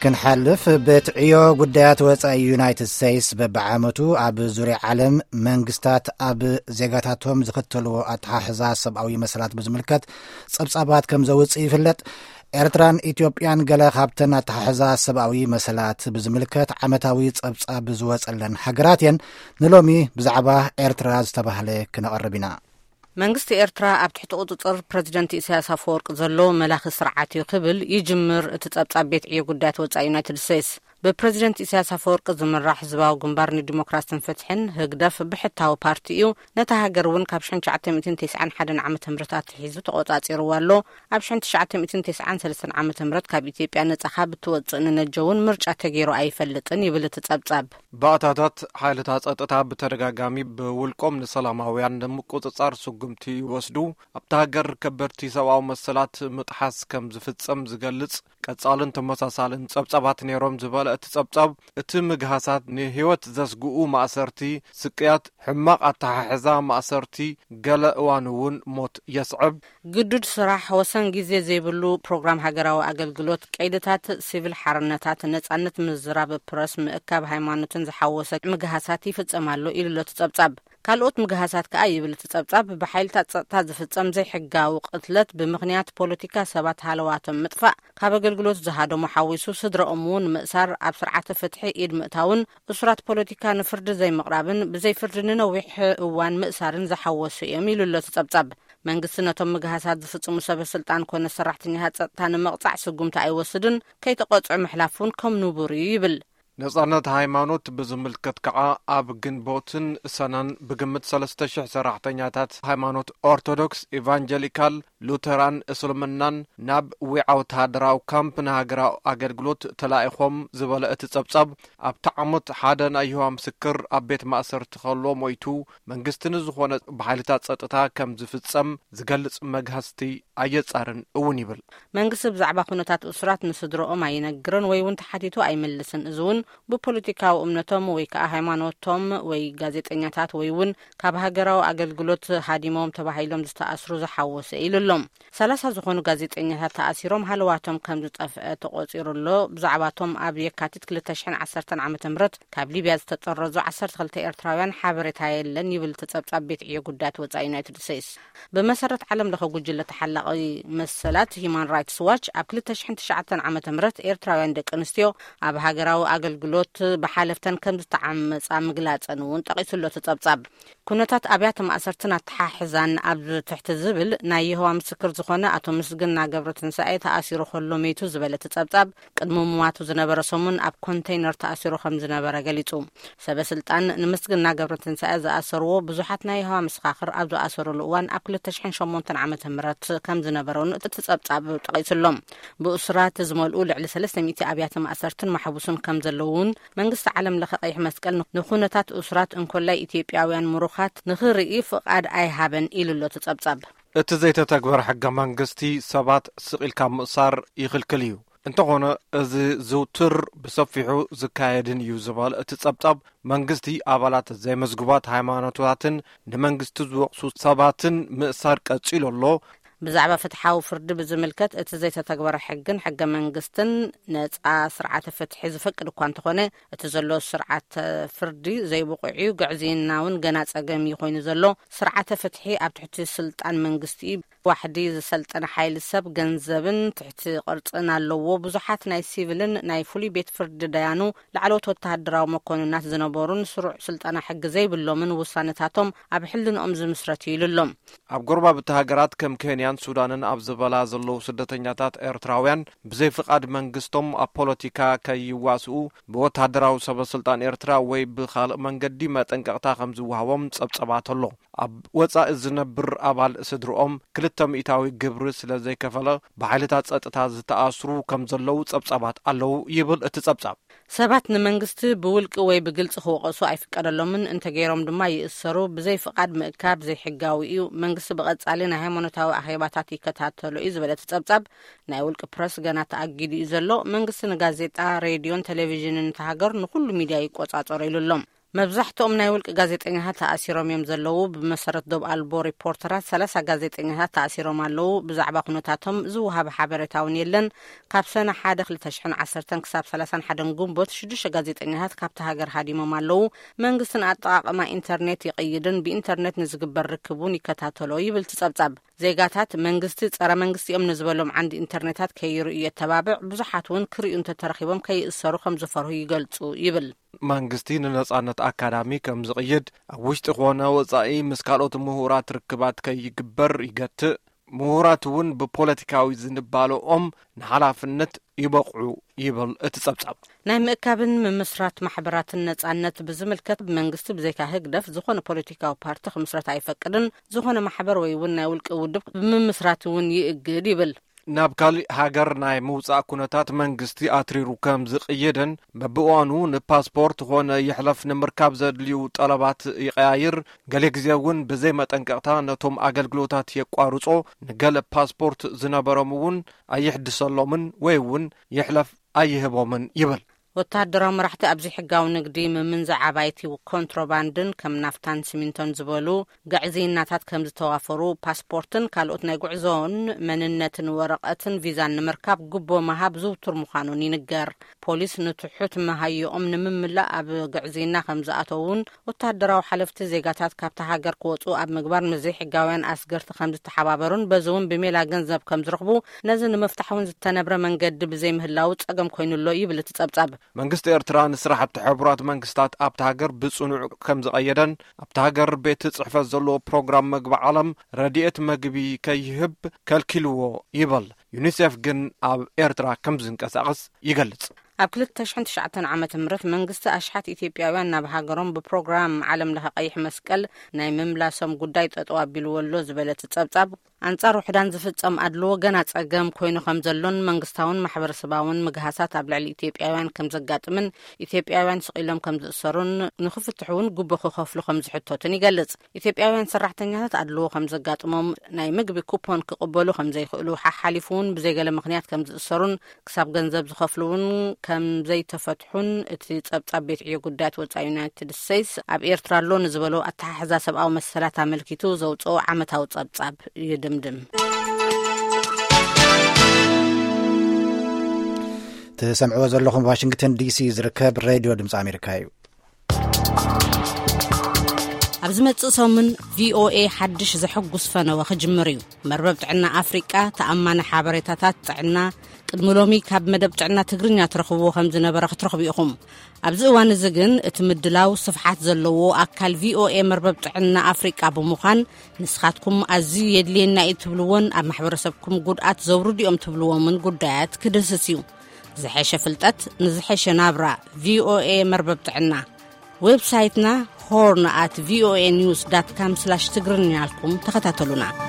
ክንሓልፍ፣ ቤት ዕዮ ጉዳያት ወጻኢ ዩናይትድ ስቴትስ በብዓመቱ ኣብ ዙርያ ዓለም መንግስታት ኣብ ዜጋታቶም ዝኽተልዎ ኣተሓሕዛ ሰብኣዊ መሰላት ብዝምልከት ጸብጻባት ከም ዘውጽእ ይፍለጥ። ኤርትራን ኢትዮጵያን ገለ ካብተን ኣተሓሕዛ ሰብኣዊ መሰላት ብዝምልከት ዓመታዊ ጸብጻብ ዝወጸለን ሃገራት እየን። ንሎሚ ብዛዕባ ኤርትራ ዝተባህለ ክነቐርብ ኢና። መንግስቲ ኤርትራ ኣብ ትሕቲ ቁጽጽር ፕረዚደንት ኢሳያስ ኣፈወርቂ ዘሎ መላኺ ስርዓት እዩ ክብል ይጅምር እቲ ጸብጻብ ቤት ዕዮ ጉዳያት ወጻኢ ዩናይትድ ስቴትስ። ብፕረዚደንት ኢሳያስ ኣፈወርቂ ዝምራሕ ህዝባዊ ግንባር ንዲሞክራስን ፍትሕን፣ ህግደፍ፣ ብሕታዊ ፓርቲ እዩ። ነታ ሃገር እውን ካብ ሽሕን ትሽዓተ ሚእትን ተስዓን ሓደን ዓመተ ምህረት ኣትሒዙ ተቖጻጺርዋ ኣሎ። ኣብ ሽሕን ትሽዓተ ሚእትን ተስዓን ሰለስተን ዓመተ ምህረት ካብ ኢትዮጵያ ነጻ ካብ እትወጽእ ንነጀ እውን ምርጫ ተገይሩ ኣይፈልጥን ይብል እቲ ጸብጻብ። ባእታታት ሓይልታት ጸጥታ ብተደጋጋሚ ብውልቆም ንሰላማውያን ንምቁጽጻር ስጉምቲ ይወስዱ። ኣብታ ሃገር ከበድቲ ሰብኣዊ መሰላት ምጥሓስ ከም ዝፍጸም ዝገልጽ ቀጻልን ተመሳሳልን ጸብጻባት ነይሮም ዝበለ እቲ ጸብጻብ፣ እቲ ምግሃሳት ንህይወት ዘስግኡ ማእሰርቲ፣ ስቅያት፣ ሕማቕ ኣተሓሕዛ ማእሰርቲ፣ ገለ እዋን እውን ሞት የስዕብ። ግዱድ ስራሕ፣ ወሰን ግዜ ዘይብሉ ፕሮግራም ሃገራዊ ኣገልግሎት፣ ቀይድታት ሲቪል ሓርነታት፣ ነጻነት ምዝራብ ፕረስ፣ ምእካብ ሃይማኖትን ዝሓወሰ ምግሃሳት ይፍጸም ኣሎ ኢሉ ኣሎ እቲ ጸብጻብ። ካልኦት ምግሃሳት ከኣ ይብል እቲ ጸብጻብ፣ ብሓይልታት ጸጥታ ዝፍጸም ዘይሕጋዊ ቅትለት፣ ብምኽንያት ፖለቲካ ሰባት ሃለዋቶም ምጥፋእ፣ ካብ ኣገልግሎት ዝሃደሙ ሓዊሱ ስድራኦም እውን ምእሳር፣ ኣብ ስርዓተ ፍትሒ ኢድ ምእታውን እሱራት ፖለቲካ ንፍርዲ ዘይምቕራብን ብዘይ ፍርዲ ንነዊሕ እዋን ምእሳርን ዝሓወሱ እዮም ኢሉ ኣሎ እቲ ጸብጻብ። መንግስቲ ነቶም ምግሃሳት ዝፍጽሙ ሰበ ስልጣን ኮነ ሰራሕተኛታት ጸጥታ ንምቕጻዕ ስጉምቲ ኣይወስድን፣ ከይተቐጽዑ ምሕላፍ እውን ከም ንቡር እዩ ይብል። ነጻነት ሃይማኖት ብዝምልከት ከኣ ኣብ ግንቦትን ሰነን ብግምት ሰለስተ ሽሕ ሰራሕተኛታት ሃይማኖት ኦርቶዶክስ፣ ኢቫንጀሊካል፣ ሉተራን እስልምናን ናብ ዊዓ ወተሃደራዊ ካምፕ ንሃገራዊ ኣገልግሎት ተላኢኾም ዝበለ እቲ ጸብጻብ፣ ኣብቲ ዓመት ሓደ ናይ ይሆዋ ምስክር ኣብ ቤት ማእሰርቲ ከሎ ሞይቱ፣ መንግስቲ ንዝኾነ ብሓይልታት ጸጥታ ከም ዝፍጸም ዝገልጽ መግሃስቲ ኣየጻርን እውን ይብል። መንግስቲ ብዛዕባ ኩነታት እሱራት ንስድረኦም ኣይነግርን ወይ እውን ተሓቲቱ ኣይምልስን። እዚ እውን ብፖለቲካዊ እምነቶም ወይ ከኣ ሃይማኖቶም ወይ ጋዜጠኛታት ወይ እውን ካብ ሃገራዊ ኣገልግሎት ሃዲሞም ተባሂሎም ዝተኣስሩ ዝሓወሰ ኢሉ ኣሎ። ሰላሳ ዝኾኑ ጋዜጠኛታት ተኣሲሮም ሃለዋቶም ከም ዝጠፍአ ተቖጺሩ ኣሎ። ብዛዕባቶም ኣብ የካቲት ክልተ ሽሕን ዓሰርተን ዓመተ ምህረት ካብ ሊብያ ዝተጠረዙ ዓሰርተ ክልተ ኤርትራውያን ሓበሬታ የለን ይብል እቲ ጸብጻብ ቤት ዕዮ ጉዳያት ወጻኢ ዩናይትድ ስቴትስ። ብመሰረት ዓለም ለኸ ጉጅለ ተሓላቒ መሰላት ሂዩማን ራይትስ ዋች፣ ኣብ ክልተ ሽሕን ትሽዓተን ዓመተ ምህረት ኤርትራውያን ደቂ ኣንስትዮ ኣብ ሃገራዊ ኣገልግሎት ብሓለፍተን ከም ዝተዓመጻ ምግላጸን እውን ጠቒሱ ኣሎ እቲ ጸብጻብ። ኩነታት ኣብያተ ማእሰርትን ኣተሓሕዛን ኣብ ትሕቲ ዝብል ናይ የሆዋ ምስክር ዝኾነ ኣቶ ምስግና ገብረትንሳኤ ተኣሲሩ ከሎ መይቱ ዝበለ እቲ ጸብጻብ፣ ቅድሚ ምሟቱ ዝነበረ ሰሙን ኣብ ኮንተይነር ተኣሲሩ ከም ዝነበረ ገሊጹ። ሰበ ስልጣን ንምስግና ገብረትንሳኤ ዝኣሰርዎ ብዙሓት ናይ የሆዋ መሰኻኽር ኣብ ዝኣሰሩሉ እዋን ኣብ ክልተ ሽሕን ሸሞንተን ዓመተ ምህረት ከም ዝነበረ እውን እቲ ጸብጻብ ጠቒሱ ኣሎ። ብእሱራት ዝመልኡ ልዕሊ ሰለስተ ሚእቲ ኣብያተ ማእሰርትን ማሕቡስን ከም ዘለዉ እውን መንግስቲ ዓለም ለኸ ቀይሕ መስቀል ንኹነታት እሱራት እንኮላይ ኢትዮጵያውያን ምሩኻት ንኽርኢ ፍቓድ ኣይሃበን ኢሉ ኣሎ እቲ ጸብጻብ። እቲ ዘይተተግበረ ሕገ መንግስቲ ሰባት ስቕ ኢልካ ምእሳር ይኽልክል እዩ። እንተኾነ፣ እዚ ዝውትር ብሰፊሑ ዝካየድን እዩ ዝበለ እቲ ጸብጻብ፣ መንግስቲ ኣባላት ዘይመዝጉባት ሃይማኖታትን ንመንግስቲ ዝወቕሱ ሰባትን ምእሳር ቀጺሉ ኣሎ። ብዛዕባ ፍትሓዊ ፍርዲ ብዝምልከት፣ እቲ ዘይተተግበረ ሕግን ሕገ መንግስትን ነጻ ስርዓተ ፍትሒ ዝፈቅድ እኳ እንተኾነ፣ እቲ ዘሎ ስርዓተ ፍርዲ ዘይብቑዕ እዩ፣ ግዕዝይና እውን ገና ጸገም እዩ ኮይኑ ዘሎ። ስርዓተ ፍትሒ ኣብ ትሕቲ ስልጣን መንግስቲ እዩ። ዋሕዲ ዝሰልጠነ ሓይሊ ሰብ፣ ገንዘብን ትሕቲ ቅርጽን ኣለዎ። ብዙሓት ናይ ሲቪልን ናይ ፍሉይ ቤት ፍርዲ ዳያኑ ላዕለዎት ወተሃደራዊ መኮንናት ዝነበሩን ስሩዕ ስልጠና ሕጊ ዘይብሎምን ውሳነታቶም ኣብ ሕልንኦም ዝምስረት እዩ ኢሉ ኣሎ። ኣብ ጎረባብቲ ሃገራት ከም ኬንያን ሱዳንን ኣብ ዝበላ ዘለዉ ስደተኛታት ኤርትራውያን ብዘይ ፍቓድ መንግስቶም ኣብ ፖለቲካ ከይዋስኡ ብወተሃደራዊ ሰበ ስልጣን ኤርትራ ወይ ብኻልእ መንገዲ መጠንቀቕታ ከም ዝወሃቦም ጸብጸባት ኣሎ። ኣብ ወጻኢ ዝነብር ኣባል ስድርኦም ክልተ ሚእታዊ ግብሪ ስለ ዘይከፈለ ብሓይልታት ጸጥታ ዝተኣስሩ ከም ዘለዉ ጸብጻባት ኣለዉ ይብል እቲ ጸብጻብ። ሰባት ንመንግስቲ ብውልቂ ወይ ብግልጺ ክወቐሱ ኣይፍቀደሎምን፣ እንተገይሮም ድማ ይእሰሩ። ብዘይ ፍቓድ ምእካብ ዘይሕጋዊ እዩ። መንግስቲ ብቐጻሊ ናይ ሃይማኖታዊ ኣኼባታት ይከታተሎ እዩ ዝበለ እቲ ጸብጻብ፣ ናይ ውልቂ ፕረስ ገና ተኣጊዱ እዩ ዘሎ። መንግስቲ ንጋዜጣ፣ ሬድዮን ቴሌቪዥንን እታ ሃገር ንኹሉ ሚድያ ይቆጻጸሮ ኢሉ ኣሎ። መብዛሕትኦም ናይ ውልቂ ጋዜጠኛታት ተኣሲሮም እዮም ዘለዉ። ብመሰረት ዶብ ኣልቦ ሪፖርተራት፣ ሰላሳ ጋዜጠኛታት ተኣሲሮም ኣለዉ። ብዛዕባ ኩነታቶም ዝወሃበ ሓበሬታ እውን የለን። ካብ ሰነ ሓደ ክልተ ሽሕን ዓሰርተን ክሳብ ሰላሳን ሓደን ግንቦት፣ ሽዱሽተ ጋዜጠኛታት ካብቲ ሃገር ሃዲሞም ኣለዉ። መንግስትን ኣጠቓቕማ ኢንተርኔት ይቕይድን ብኢንተርኔት ንዝግበር ርክብ እውን ይከታተሎ ይብል እቲ ጸብጻብ። ዜጋታት መንግስቲ ጸረ መንግስቲ እዮም ንዝበሎም ዓንዲ ኢንተርኔታት ከይርእዩ የተባብዕ። ብዙሓት እውን ክርእዩ እንተተረኺቦም ከይእሰሩ ከም ዝፈርሁ ይገልጹ ይብል። መንግስቲ ንነጻነት ኣካዳሚ ከም ዝቕይድ፣ ኣብ ውሽጢ ኾነ ወጻኢ ምስ ካልኦት ምሁራት ርክባት ከይግበር ይገትእ። ምሁራት እውን ብፖለቲካዊ ዝንባለኦም ንሓላፍነት ይበቕዑ ይብል እቲ ጸብጻብ። ናይ ምእካብን ምምስራት ማሕበራትን ነጻነት ብዝምልከት፣ መንግስቲ ብዘይካ ህግደፍ ዝኾነ ፖለቲካዊ ፓርቲ ክምስረት ኣይፈቅድን። ዝኾነ ማሕበር ወይ እውን ናይ ውልቂ ውድብ ብምምስራት እውን ይእግድ ይብል። ናብ ካሊእ ሃገር ናይ ምውጻእ ኩነታት መንግስቲ ኣትሪሩ ከም ዝቕይድን፣ በብእዋኑ ንፓስፖርት ኾነ ይሕለፍ ንምርካብ ዘድልዩ ጠለባት ይቀያይር። ገለ ግዜ እውን ብዘይ መጠንቀቕታ ነቶም ኣገልግሎታት የቋርጾ። ንገለ ፓስፖርት ዝነበሮም እውን ኣይሕድሰሎምን ወይ እውን ይሕለፍ ኣይህቦምን ይብል። ወተሃደራዊ መራሕቲ ኣብዚ ሕጋዊ ንግዲ ምምንዛዕ ኣባይቲ፣ ኮንትሮባንድን ከም ናፍታን ሲሚንቶን ዝበሉ ግዕዝይናታት ከም ዝተዋፈሩ፣ ፓስፖርትን ካልኦት ናይ ጉዕዞን መንነትን ወረቐትን ቪዛን ንምርካብ ጉቦ ምሃብ ዝውቱር ምዃኑን ይንገር። ፖሊስ ንትሑት መሃይኦም ንምምላእ ኣብ ግዕዝይና ከም ዝኣተውን፣ ወተሃደራዊ ሓለፍቲ ዜጋታት ካብታ ሃገር ክወጹ ኣብ ምግባር ምስ ዘይሕጋውያን ኣስገርቲ ከም ዝተሓባበሩን፣ በዚ እውን ብሜላ ገንዘብ ከም ዝረኽቡ፣ ነዚ ንምፍታሕ እውን ዝተነብረ መንገዲ ብዘይምህላው ጸገም ኮይኑሎ ይብል እቲ ጸብጻብ። መንግስቲ ኤርትራ ንስራሕቲ ሕቡራት መንግስታት ኣብታ ሃገር ብጽኑዕ ከም ዝቐየደን፣ ኣብታ ሃገር ቤት ጽሕፈት ዘለዎ ፕሮግራም መግቢ ዓለም ረድኤት መግቢ ከይህብ ከልኪልዎ ይበል። ዩኒሴፍ ግን ኣብ ኤርትራ ከም ዝንቀሳቐስ ይገልጽ። ኣብ ክልተ ሽሕን ትሽዓተን ዓመተ ምህረት መንግስቲ ኣሽሓት ኢትዮጵያውያን ናብ ሃገሮም ብፕሮግራም ዓለም ለኸ ቀይሕ መስቀል ናይ ምምላሶም ጉዳይ ጠጠው ኣቢልዎ ኣሎ ዝበለ እቲ ጸብጻብ፣ ኣንጻር ውሕዳን ዝፍጸም ኣድልዎ ገና ጸገም ኮይኑ ከም ዘሎን መንግስታውን ማሕበረሰባውን ምግሃሳት ኣብ ልዕሊ ኢትዮጵያውያን ከም ዘጋጥምን፣ ኢትዮጵያውያን ስቕ ኢሎም ከም ዝእሰሩን ንክፍትሑ እውን ጉቦ ክኸፍሉ ከም ዝሕተቱን ይገልጽ። ኢትዮጵያውያን ሰራሕተኛታት ኣድልዎ ከም ዘጋጥሞም፣ ናይ ምግቢ ኩፖን ክቕበሉ ከም ዘይኽእሉ፣ ሓሓሊፉ እውን ብዘይገለ ምኽንያት ከም ዝእሰሩን ክሳብ ገንዘብ ዝኸፍሉ እውን ከም ዘይተፈትሑን እቲ ጸብጻብ ቤት ዕዮ ጉዳያት ወጻኢ ዩናይትድ ስቴትስ ኣብ ኤርትራ ኣሎ ንዝበሎ ኣተሓሕዛ ሰብኣዊ መሰላት ኣመልኪቱ ዘውጽኦ ዓመታዊ ጸብጻብ ይድምድም። ትሰምዕዎ ዘለኹም ዋሽንግተን ዲሲ ዝርከብ ሬድዮ ድምፂ ኣሜሪካ እዩ። ኣብ ዝመጽእ ሰሙን ቪኦኤ ሓድሽ ዘሐጉስ ፈነወ ክጅምር እዩ። መርበብ ጥዕና ኣፍሪቃ ተኣማኒ ሓበሬታታት ጥዕና፣ ቅድሚ ሎሚ ካብ መደብ ጥዕና ትግርኛ ትረኽብዎ ከም ዝነበረ ክትረኽቡ ኢኹም። ኣብዚ እዋን እዚ ግን እቲ ምድላው ስፍሓት ዘለዎ ኣካል ቪኦኤ መርበብ ጥዕና ኣፍሪቃ ብምዃን፣ ንስኻትኩም ኣዝዩ የድልየና እዩ ትብልዎን ኣብ ማሕበረሰብኩም ጉድኣት ዘውርዱ እዮም ትብልዎምን ጉዳያት ክድህስስ እዩ። ዝሐሸ ፍልጠት ንዝሐሸ ናብራ። ቪኦኤ መርበብ ጥዕና። ዌብሳይትና ሆርን ኣት ቪኦኤ ኒውስ ዳት ካም ስላሽ ትግርኛ ኢልኩም ተኸታተሉና።